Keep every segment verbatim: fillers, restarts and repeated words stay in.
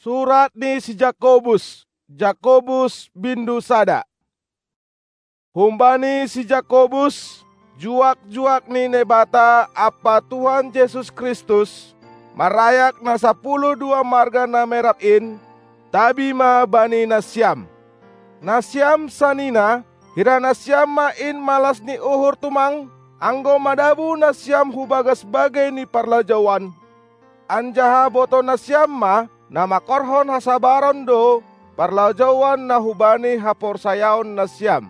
Surat ni si Jakobus, Jakobus bindu sada. Humbani si Jakobus, juak-juak ni Naibata ampa Tuhan Jesus Kristus, marayak na sapuluh dua marga na merap in, tabi ma bani nasiam. Nasiam sanina, hira nasiam ma in malas ni uhur tumang, anggo madabu nasiam hu bagas bagei ni parlajouan. Anjaha boto nasiam ma, na mangkorhon hasabaron do parlajouan na hubani haporsayaon nasiam.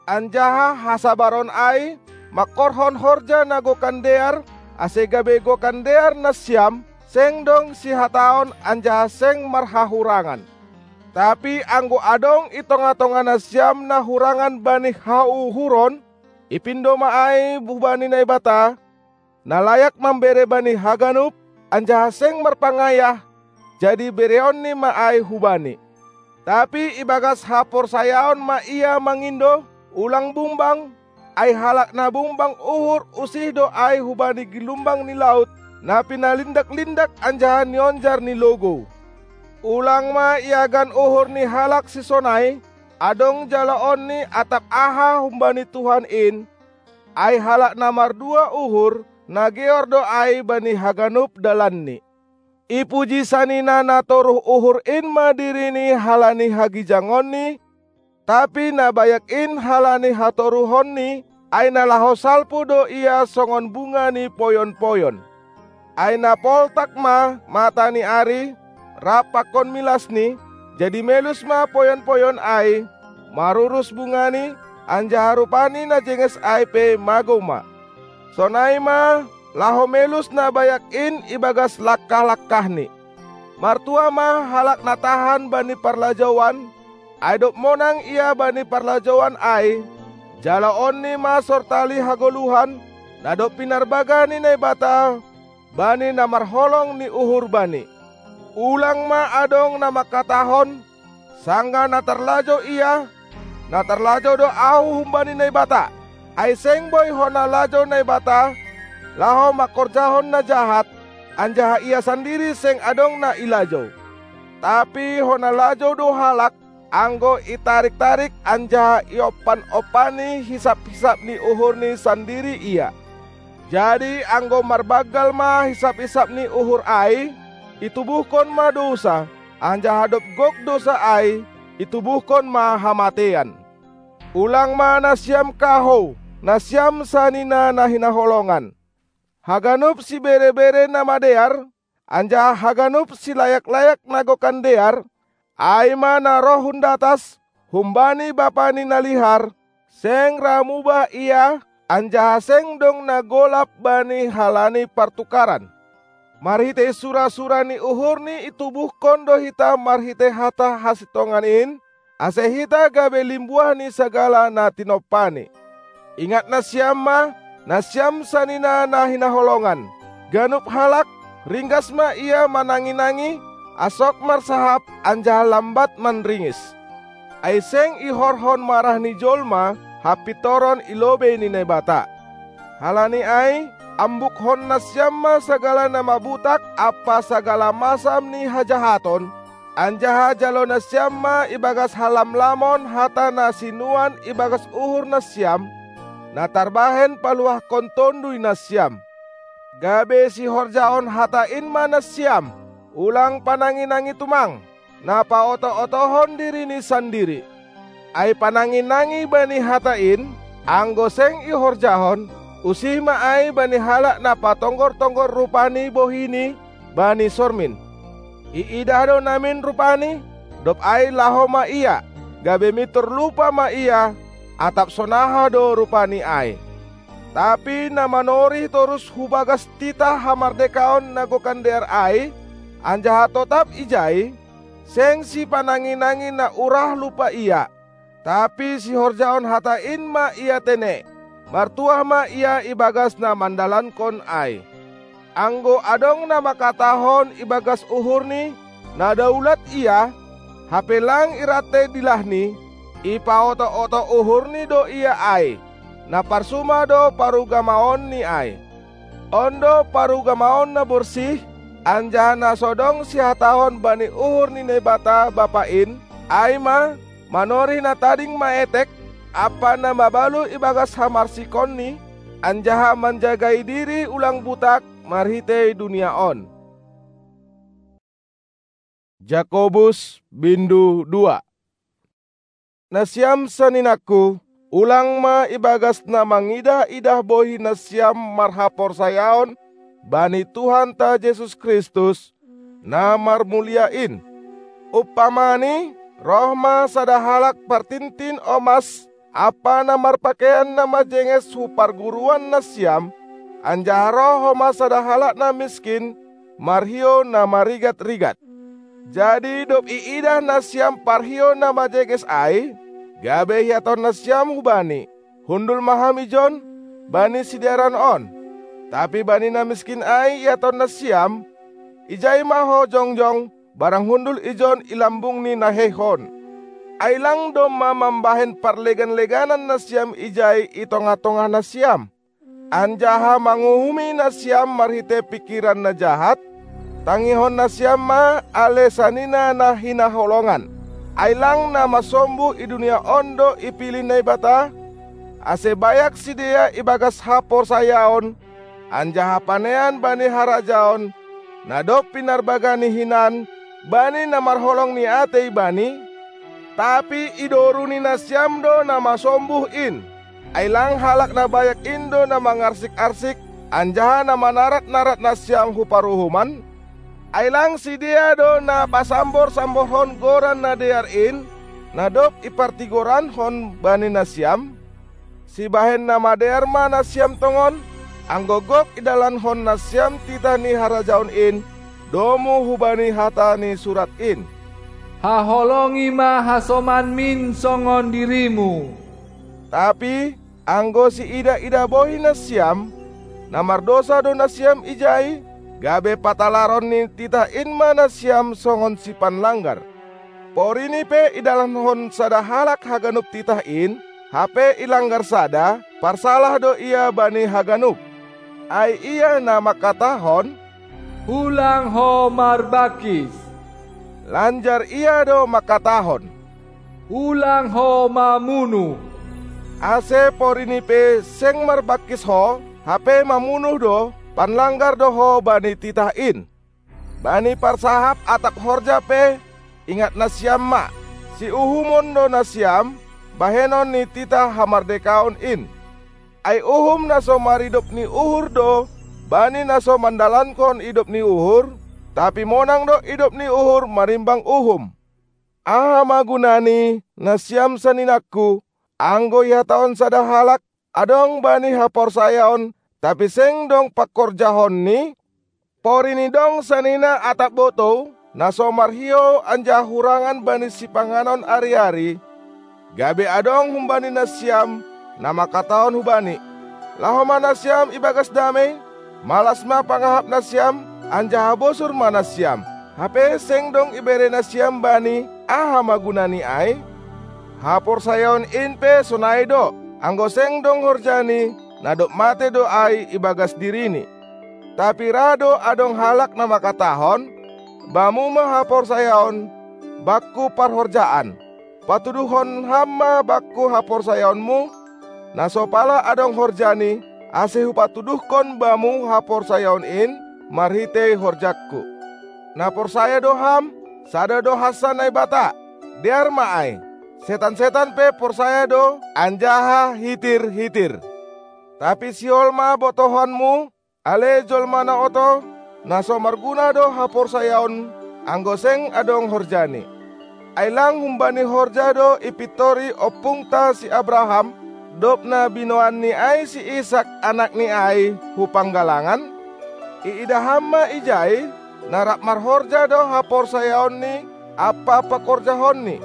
Anjaha hasabaron ai mangkorhon horja na gokan dear, ase gabe gokan dear nasiam seng dong sihataon anjaha seng marhahurangan. Tapi anggo adong i tonga-tonga nasiam na hurangan bani hauhuron, ipindo ma ai hubani Naibata, na layak mambere bani haganup, anjaha seng marpangayah, jadi bereonni ma ai hubani. Tapi ibagas haporsayaon ma ia mangindo, ulang bumbang, ai halak na bumbang uhur usih do ai hubani gilumbang ni laut, na pinalindak-lindak anjaha nionjar ni logou. Ulang ma iagan uhur ni halak sisonai, adong jaloonni atap aha humbani Tuhan in, ai halak na mardua uhur, na geor do ai bani haganup dalanni. Ipuji sanina na toruh uhur in ma dirini halani hagijangonni, tapi na bayak in halani hatoruhonni, ai na laho salpu do ia songon bunga ni poyon-poyon. Ai na poltak ma mata ni ari, rap pakon milasni, jadi melus ma poyon-poyon ai, marurus bungani, anjaha rupani na jenges ai pe magou ma. Sonai ma, laho melus na bayak in ibagas langkah-langkahni. Martua ma halak na tahan bani parlajouan, ai dob monang ia bani parlajouan ai, jaloonni ma sortali hagoluhan, na dob pinarbaga ni Naibata, bani na marholong ni uhur bani. Ulang ma adong na mangkatahon, sanggah na tarlajou ia, na tarlajou do ahu humbani Naibata. Ai seng boi hona lajou Naibata, laho mangkorjahon na jahat, anjaha ia sandiri seng adong na ilajou. Tapi hona lajou do halak, anggo itarik-tarik anjaha iompan-ompani hisap-hisap ni uhurni sandiri ia. Jadi anggo marbanggal ma hisap-hisap ni uhur ai, itubuhkon ma dousa, anjaha dob gok dousa ai, itubuhkon ma hamateian. Ulang ma nasiam kahou, nasiam sanina na hinaholongan. Haganup sibere-bere na madear, anjaha haganup silayak-layak na gokan dear, ai ma na roh hun datas, humbani Bapa ni na lihar, seng ra mubah ia, anjaha seng dong na golap bani halani partukaran. Marhitei sura-sura ni uhurni itubuhkon do hita marhitei hata hasintongan in, ase hita gabe limbuah ni sagala na tinompani. Ingat nasiam ma, nasiam sanina na hinaholongan. Ganup halak, ringgas ma ia manangi-nangi, asok marsahap anjaha lambat manringis. Ai seng ihorhon marah ni jolma hapintoron i lobei ni Naibata. Halani ai, ambukkon nasiam ma sagala na mabutak ampa sagala masam ni hajahaton, anjaha jalo nasiam ma ibagas halamlamon hata na sinuan ibagas uhur nasiam, na tarbahen paluahkon tonduy nasiam. Gabe sihorjahon hata in ma nasiam, ulang panangi-nangi tumang, na paoto-otohon dirini sandiri. Ai panangi-nangi bani hata in, anggo seng ihorjahon, usih ma ai bani halak na patonggor-tonggor rupani bohini bani sormin. Iidah do namin rupani, dob ai laho ma ia, gabe mintor lupa ma ia, atap sonaha do rupani ai. Tapi na manorih torus hu bagas titah hamardekaon na gokan dear ai, anjaha totap ijai, seng sipanangi-nangi na urah lupa ia, tapi sihorjahon hata in ma ia tene, martuah ma ia ibagas na mandalankon ai. Anggo adong na mangkatahon ibagas uhurni, na daulat ia, hape lang irantei dilahni, ipaoto-oto uhurni do ia ai, na parsuma do parugamaonni ai. On do parugamaon na borsih, Anjaha na so dong sihatahon bani uhur ni Naibata Bapa in, ai ma, manorih na tading maetek, ampa na mabalu ibagas hamarsikonni, anjaha manjagai diri ulang butak marhitei dunia on. Jakobus bindu dua. Nasiam saninangku, ulang ma ibagas na mangidah-idah bohi nasiam marhaporsayaon bani Tuhanta Jesus Kristus, na marmulia in. Umpamani, roh ma sada halak partintin omas ampa na marpakean na majenges hu parguruan nasiam, anjaha roh homa sada halak na miskin marhiou na marigat-rigat. Jadi dob iidah nasiam parhiou na majenges ai, gabe ihatahon nasiam hu bani, "Hundul ma ham ijon bani sidearan on." Tapi bani na miskin ai ihatahon nasiam, "Ijai ma ho jongjong, barang hundul ijon i lambung ni naheihon." Ai lang domma mambahen parlegan-leganan nasiam ijai i tongah-tongah nasiam, anjaha manguhumi nasiam marhitei pingkiran na jahat? Tangihon nasiam ma ale sanina na hinaholongan. Ai lang na masombuh i dunia on do ipilih Naibata, ase bayak sidea ibagas haporsayaon, anjaha panean bani harajaon, na dob pinarbagani hinan bani na marholong ni atei bani? Tapi idoruni nasiam do na masombuh in. Ai lang halak na bayak in do na mangarsik-arsik, anjaha na manarat-narat nasiam hu paruhuman? Ai lang sidea do na pasambor-samborhon goran na dear in, na dob ipartigorankon bani nasiam? Sibahen na madear ma nasiam tongon, anggo gok idalankon nasiam titah ni harajaon in, domu hubani hata ni surat in, "Haholongi ma hasomanmin songon dirimu." Tapi anggo siidah-idah bohi nasiam, na mardousa do nasiam ijai, gabe patalaron ni titah in ma nasiam songon sipanlanggar. Porini pe idalankon sada halak haganup titah in, hape ilanggar sada, parsalah do ia bani haganup. Ai ia na mangkatahon, "Ulang ho marbangkis!" Lanjar ia do mangkatahon, "Ulang ho mamunuh!" Ase porini pe seng marbangkis ho, hape mamunuh do, panlanggar do ho bani titah in. Bani parsahap atap horja pe, ingat nasiam ma, siuhumon do nasiam bahenon ni titah hamardekaon in. Ai uhum na so maridop ni uhur do bani na so mandalankon idop ni uhur, tapi monang do idop ni uhur marimbang uhum. Aha ma gunani, nasiam saninangku, anggo ihatahon sada halak, adong bani haporsayaon, tapi seng dong pangkorjahonni? Porini dong sanina atap botou, na so marhiou anjaha hurangan bani sipanganon ari-ari, gabe adong humbani nasiam na mangkatahon hubani, "Laho ma nasiam ibagas damei, malas ma pangahap nasiam, anjaha bosur ma nasiam," hape seng dong ibere nasiam bani, aha ma gunani ai? Haporsayaon in pe sonai do, anggo seng dong horjani, na dob mate do ai ibagas dirini. Tapi ra do adong halak na mangkatahon, "Bamu ma haporsayaon, bakku parhorjaan." Patuduhon ham ma bakku haporsayaonmu, na so pala adong horjani, ase hupatuduhkon bamu haporsayaon in marhitei horjangku. Na porsaya do ham, sada do hansa Naibata. Dear ma ai, setan-setan pe porsaya do anjaha hitir-hitir. Tapi sihol ma botohonmu, ale jolma na oto, na so marguna do haporsayaon, anggo seng adong horjani. Ai lang humbani horja do ipintori ompungta si Abraham, dob na binoanni ai si Isak anakni ai hu panggalangan? Iidah ham ma ijai, na rap marhorja do haporsayaonni ampa pangkorjahonni,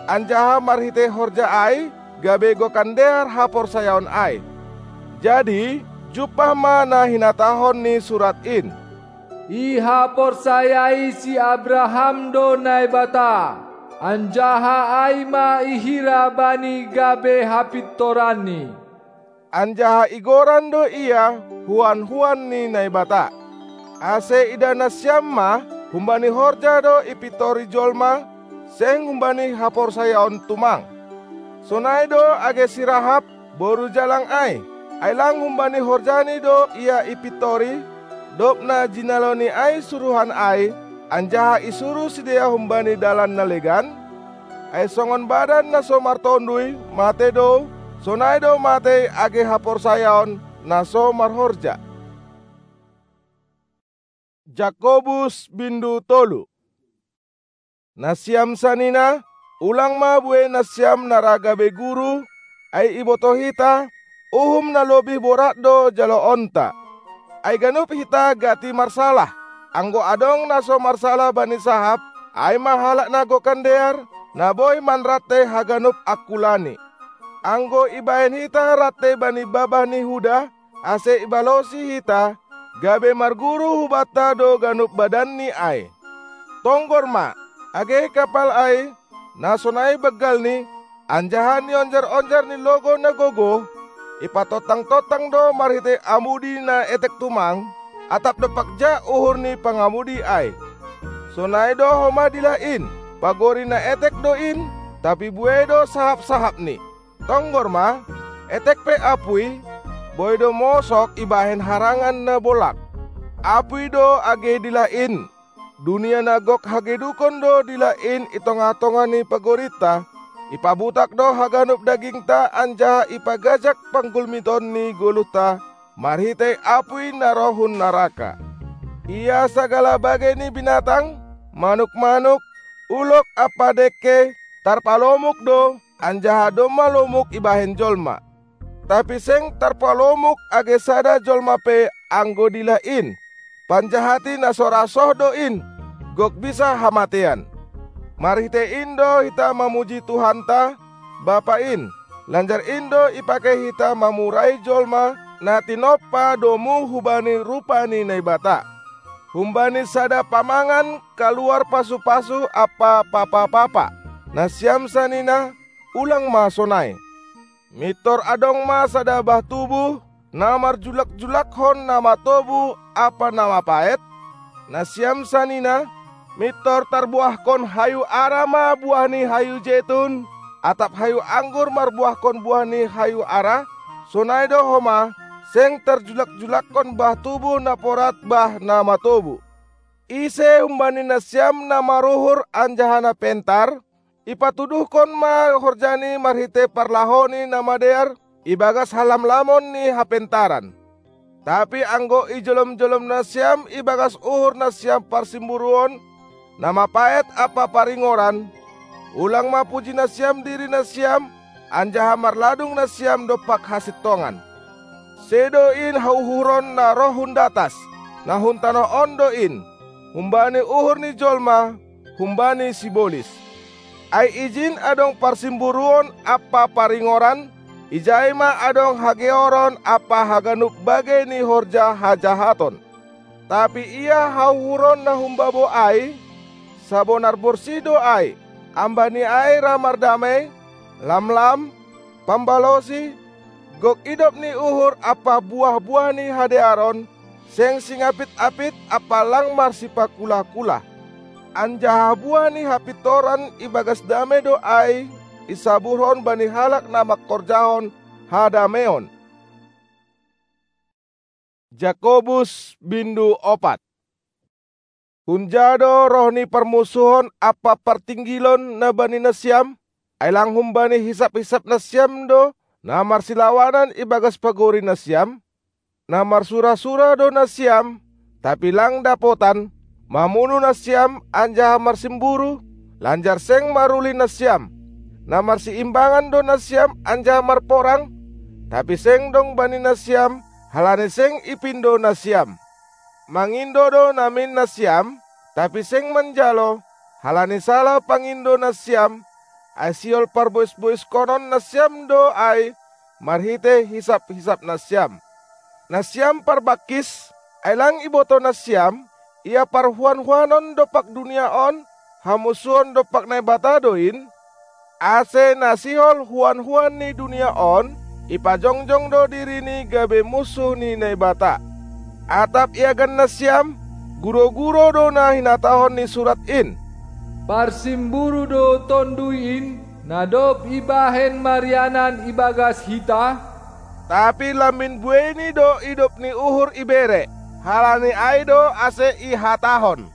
anjaha marhitei horja ai, gabe gokan dear haporsayaon ai. Jadi, jumpah ma na hinatahon ni surat in, "Ihaporsayai si Abraham do Naibata, anjaha ai ma ihira bani gabe hapintoranni." Anjaha igoran do ia huan-huan ni Naibata. Ase idah nasiam ma humbani horja do ipitori jolma, seng humbani haporsayaon tumang. Sonai do age si Rahab, boru jalang ai, ai lang humbani horjani do ia ipitori, dob na jinaloni ai suruhan ai, anjaha isuruh sidea humbani dalan na legan? Ai songon badan na so martonduy matei do, sonai do matei age haporsayaon na so marhorja. Jakobus bindu tolu. Nasiam sanina, ulang ma buei nasiam na ra gabe guru, ai iboto hita, uhum na lobih borat do jaloonta. Ai ganup hita gati marsalah. Anggo adong na so marsalah bani sahap, ai ma halak na gokan dear, na boi manrante haganup angkulani. Anggo ibahen hita rante bani babah ni huda, ase ibalosi hita, gabe marguru hubanta do ganup badanni ai. Tonggor ma, age kapal ai, na sonai banggalni, anjaha nionjar-onjar ni logou na gogoh, ipatontang-tontang do marhitei amudi na etek tumang, atap dompak ja uhur ni pangamudi ai. Sonai do homa dilah in, pagori na etek do in, tapi buei do sahap-sahapni. Tonggor ma, etek pe apui, boi do mosok ibahen harangan na bolak. Apui do age dilah in. Dunia na gok hagedukon do dilah in i tongah-tongah ni pagorinta, ipabutak do haganup dagingta anjaha ipagajak panggulmiton ni goluhta marhitei apui na roh hun naraka. Ia sagala bagei ni binatang, manuk-manuk, ulok ampa dengke, tarpalomuk do, anjaha domma lomuk ibahen jolma. Tapi seng tarpalomuk age sada jolma pe anggo dilah in, panjahati na so ra soh do in, gok bisa hamatean. Marhitei in do hita mamuji Tuhanta, Bapa in, lanjar in do ipake hita mamurai jolma na tinompa domu hubani rupa ni Naibata. Humbani sada pamangan kaluar pasu-pasu ampa papa-papa. Nasiam sanina, ulang ma sonai. Mintor adong ma sada bah tubuh, na marjulak-julakkon na matobu ampa na mapaet? Nasiam sanina, mintor tarbuahkon hayu ara ma buah ni hayu jetun, atap hayu anggur marbuahkon buah ni hayu ara? Sonai do homa, seng tarjulak-julakkon bah tubuh na porat bah na matobu. Ise humbani nasiam na maruhur anjaha na pentar, ipatuduhkon ma horjani marhitei parlahoni na madear ibagas halamlamon ni hapentaran. Tapi anggo ijolom-jolom nasiam ibagas uhur nasiam parsimburuon, na mapaet ampa paringoran, ulang ma puji nasiam diri nasiam, anjaha marladung nasiam dompak hasintongan. Sedo in hauhuron na roh hun datas, na hun tanoh on do in, humbani uhur ni jolma, humbani sibolis. Ai ijin adong parsimburuon ampa paringoran, ijai ma adong hageoron ampa haganup bagei ni horja hajahaton. Tapi ia hauhuron na humbabo ai, sabonar borsih do ai, ambani ai ra mardamei, lamlam, pambalosi, gok idop ni uhur ampa buah-buah ni hadearon, seng singapit-apit ampa lang marsipakula-kula. Anjaha buah ni hapintoran ibagas damei do ai isaburhon bani halak na mangkorjahon hadameion. Jakobus bindu opat. Hunja do roh ni parmusuhon ampa partinggilon na bani nasiam? Ai lang humbani hisap-hisap nasiam do na marsilawanan ibagas pagori nasiam? Na marsura-sura do nasiam, tapi lang dapotan, mamunu nasiam anjaha marsimburu, lanjar seng maruli nasiam. Na marsiimbangan do nasiam anjaha marporang, tapi seng dong bani nasiam, halani seng ipindo nasiam. Mangindo do namin nasiam, tapi seng manjalo, halani salah pangindo nasiam, ai sihol parbois-boiskonon nasiam do ai marhitei hisap-hisap nasiam. Nasiam parbangkis, ai lang iboto nasiam, ia parhuan-huanon dompak dunia on, hamusuon dompak Naibata do in? Ase na sihol huan-huan ni dunia on, ipajongjong do dirini gabe musuh ni Naibata. Atap iagan nasiam, Guro-guro do na hinatahon ni surat in. Parsimburu do Tonduy in, na dob ibahen marianan ibagas hita? Tapi lambin bueini do idop ni uhur ibere. Halani ai do ase ihatahon: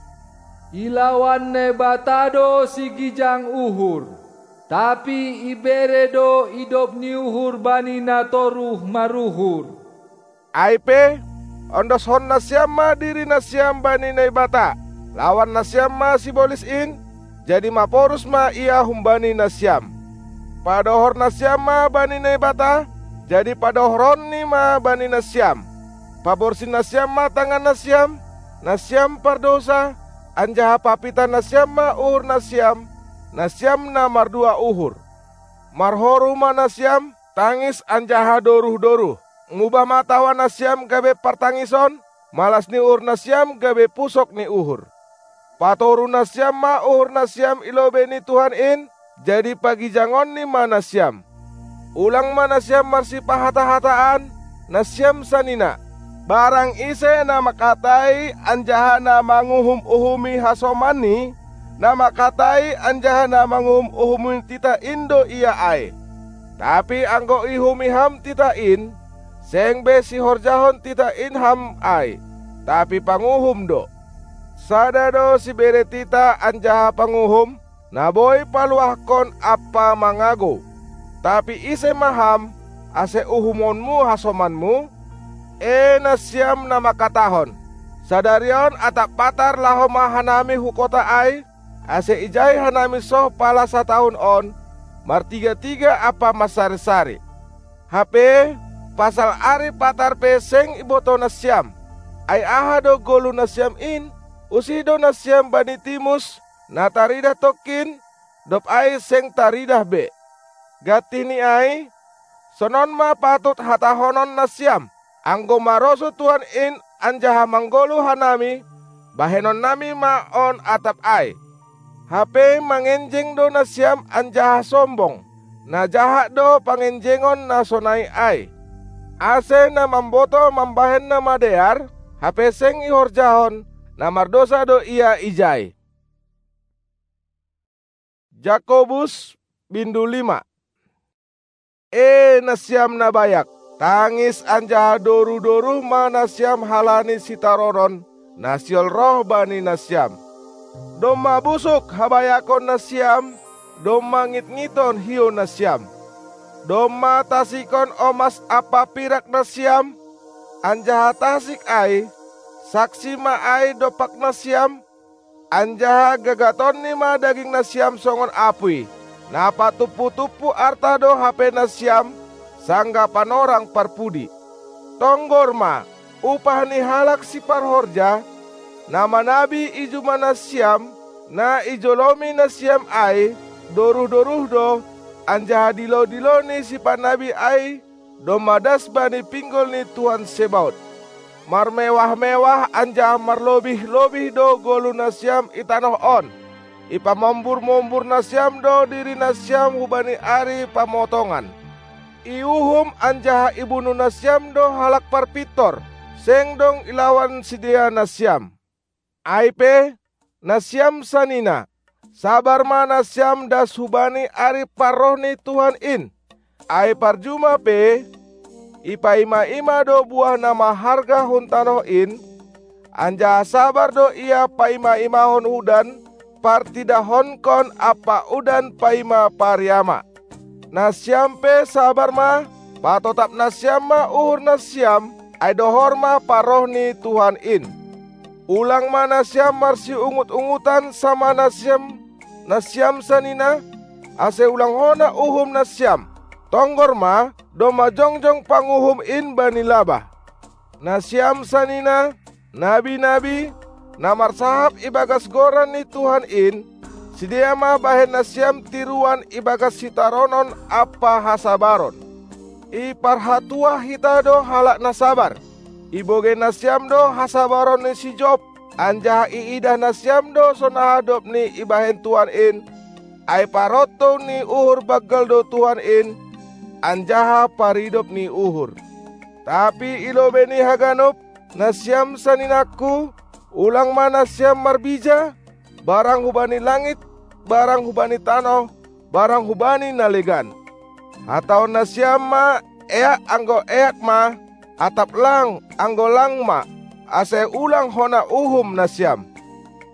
Ilawan Naibata do sigijang uhur, tapi ibere do idop ni uhur bani na toruh maruhur. Ai pe, ondoshon nasiam ma diri nasiam bani Naibata, lawan nasiam ma sibolis in, jadi maporus ma ia humbani nasiam. Padohor nasiam ma bani Naibata, jadi padohoronni ma bani nasiam. Paborsi nasiam ma tangan nasiam, nasiam pardousa, anjaha papita nasiam ma uhur nasiam, nasiam na mardua uhur. Marhoru ma nasiam, tangis anjaha doruh-doruh. Mubah ma tawa nasiam gabe partangison, malas ni uhur nasiam gabe pusok ni uhur. Patoru nasiam ma uhur nasiam i lobei ni Tuhan in, jadi pagijangonni ma nasiam. Ulang ma nasiam marsipahata-hataan, nasiam sanina. Barang ise na mangkatai anjaha na manguhum-uhumi hasomanni, na mangkatai anjaha na manguhum-uhumi titah in do ia ai. Tapi anggo iuhumi ham titah in, seng be sihorjahon titah in ham ai, tapi panguhum do. Sada do sibere titah anjaha panguhum, na boi paluahkon ampa mangagou. Tapi ise ma ham, ase uhumonmu hasomanmu? E nasiam na mangkatahon: Sadari on atap patar laho ma hanami hu kota ai, ase ijai hanami soh pala satahun on, martiga-tiga ampa marsari-sari. Hape, pasal ari patar pe seng ibotoh nasiam. Ai aha do goluh nasiam in? Usih do nasiam bani timus, na taridah tongkin, dob ai seng taridah be. Gantihni ai, sonon ma patut hatahonon nasiam: Anggo marosuh Tuhan in anjaha manggoluh hanami, bahenonnami ma on atap ai. Hape mangenjeng do nasiam anjaha sombong. Na jahat do pangenjengon na sonai ai. Ase na mambotoh mambahen na madear, hape seng ihorjahon, na mardousa do ia ijai. Jakobus, bindu lima. E nasiam na bayak, tangis anjaha doruh-doruh ma nasiam halani sitaronon, na sihol roh bani nasiam. Domma busuk habayakon nasiam, domma ngitngiton hiou nasiam. Domma tasikkon omas ampa pirak nasiam, anjaha tasik ai, saksi ma ai dompak nasiam, anjaha gagatonni ma daging nasiam songon apui, na patumpu-tumpu arta do hape nasiam, sanggah panorang parpudi. Tonggor ma, upah ni halak siparhorja, na manabi i juma nasiam, na ijolomi nasiam ai, doruh-doruh do, anjaha dilo-dilo ni sipanabi ai, domma das bani pinggol ni Tuhan Sebaot. Marmewah-mewah anjaha marlobih-lobih do goluh nasiam i tanoh on. Ipamombur-mombur nasiam do diri nasiam hubani ari pamotongan. Iuhum anjaha ibunuh nasiam do halak parpintor, seng dong ilawan sidea nasiam. Ai pe, nasiam sanina, sabar ma nasiam das hubani ari parroh ni Tuhan in. Ai parjuma pe, ipaima-ima do buah na maharga hun tanoh in, anjaha sabar do ia paima-imahon udan partidahonkon ampa udan paima pariama. Nasiam pe sabar ma, patotap nasiam ma uhur nasiam, ai dohor ma parroh ni Tuhan in. Ulang ma nasiam marsiungut-ungutan sama nasiam, nasiam sanina, ase ulang hona uhum nasiam. Tonggor ma, domma jongjong panguhum in bani labah. Nasiam sanina, nabi-nabi, na marsahap ibagas goran ni Tuhan in, sidea ma bahen nasiam tiruan ibagas sitaronon ampa hasabaron. Iparhatuah hita do halak na sabar. Ibogei nasiam do hasabaron ni si Job, anjaha iidah nasiam do sonaha dob ni ibahen Tuhan in, ai parontou ni uhur banggal do Tuhan in, anjaha paridop ni uhur. Tapi i lobei ni haganup, nasiam saninangku, Ulang ma nasiam marbija, barang hubani langit, barang hubani tanoh, barang hubani na legan. Hatahon nasiam ma: Eak anggo eak ma, atap lang anggo lang ma, ase ulang hona uhum nasiam.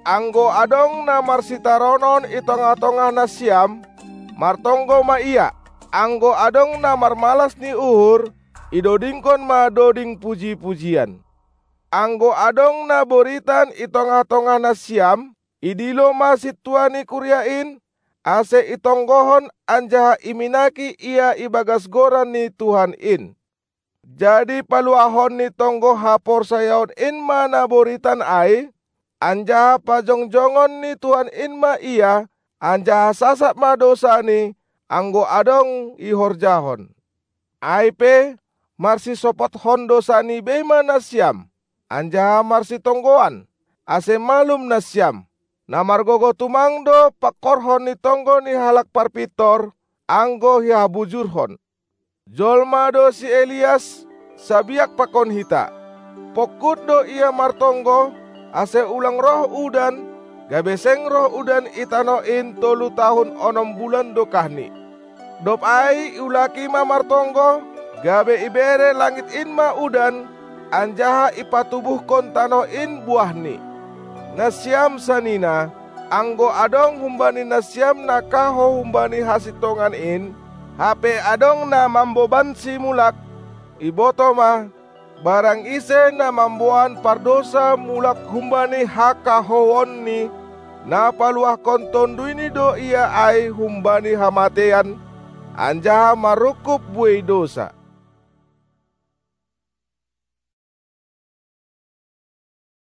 Anggo adong na marsitaronon i tongah-tongah nasiam, martonggo ma ia. Anggo adong na marmalas ni uhur, idodingkon ma doding puji-pujian. Anggo adong na boritan i tongah-tongah nasiam, idilo ma sintua ni kuria in, ase itonggohon anjaha iminaki ia ibagas goran ni Tuhan in. Jadi paluahon ni tonggo haporsayaon in ma na boritan ai, anjaha pajongjongon ni Tuhan in ma ia, anjaha sasap ma dousani, anggo adong ihorjahon. Ai pe, marsisopothon dousani bei ma nasiam, anjaha marsitonggoan, ase malum nasiam. Na margogoh tumang do pangkorhon ni tonggo ni halak parpintor, anggo ihabujurhon. Jolma do si Elias, sabiak pakon hita. Pongkut do ia martonggo, ase ulang roh udan, gabe seng roh udan i tanoh in tolu tahun onom bulan dokahni. Dob ai iulaki ma martonggo, gabe ibere langit in ma udan, anjaha ipatubuhkon tanoh in buahni. Nasiam sanina, anggo adong humbani nasiam na kahou humbani hasintongan in, hape adong na mambobansi mulak, ibotoh ma: Barang ise na mamboan pardousa mulak humbani hakahouonni, na paluahkon tonduyni do ia ai humbani hamateian, anjaha marungkub buei dousa.